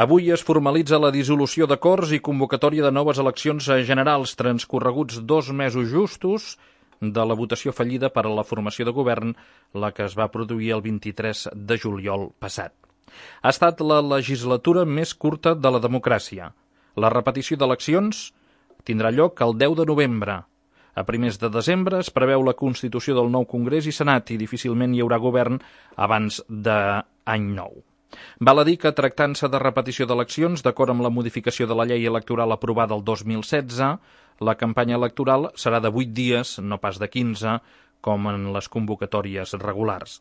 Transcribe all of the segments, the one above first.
Avui es formalitza la dissolució de Corts i convocatòria de noves eleccions generals, transcorreguts 2 mesos justos de la votació fallida per a la formació de govern, la que es va produir el 23 de juliol passat. Ha estat la legislatura més curta de la democràcia. La repetició d'eleccions tindrà lloc el 10 de novembre. A primers de desembre es preveu la constitució del nou Congrés i Senat i difícilment hi haurà govern abans d'any nou. Val a dir que, tractant-se de repetició d'eleccions, d'acord amb la modificació de la llei electoral aprovada el 2016, la campanya electoral serà de 8 dies, no pas de 15, com en les convocatòries regulars.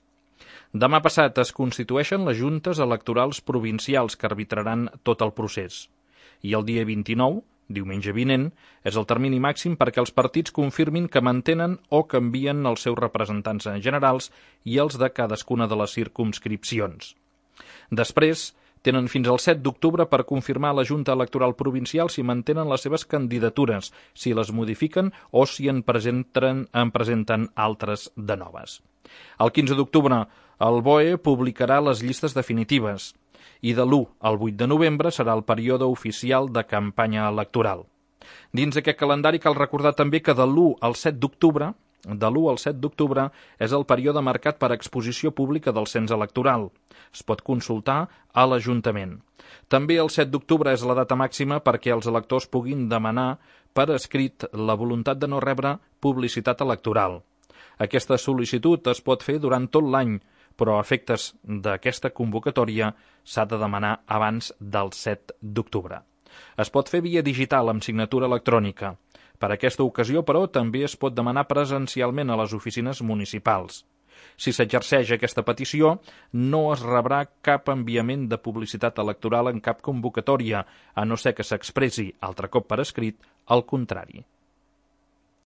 Demà passat es constitueixen les juntes electorals provincials que arbitraran tot el procés. I el dia 29, diumenge vinent, és el termini màxim perquè els partits confirmin que mantenen o canvien els seus representants generals i els de cadascuna de les circumscripcions. Després, tenen fins al 7 d'octubre per confirmar la Junta Electoral Provincial si mantenen les seves candidatures, si les modifiquen o si en presenten altres de noves. El 15 d'octubre, el BOE publicarà les llistes definitives i de l'1 al 8 de novembre serà el període oficial de campanya electoral. Dins aquest calendari cal recordar també que de l'1 al 7 d'octubre és el període marcat per exposició pública del cens electoral. Es pot consultar a l'Ajuntament. També el 7 d'octubre és la data màxima perquè els electors puguin demanar per escrit la voluntat de no rebre publicitat electoral. Aquesta sol·licitud es pot fer durant tot l'any, però a efectes d'aquesta convocatòria s'ha de demanar abans del 7 d'octubre. Es pot fer via digital amb signatura electrònica. Per aquesta ocasió, però, també es pot demanar presencialment a les oficines municipals. Si s'exerceix aquesta petició, no es rebrà cap enviament de publicitat electoral en cap convocatòria, a no ser que s'expressi altre cop per escrit el contrari.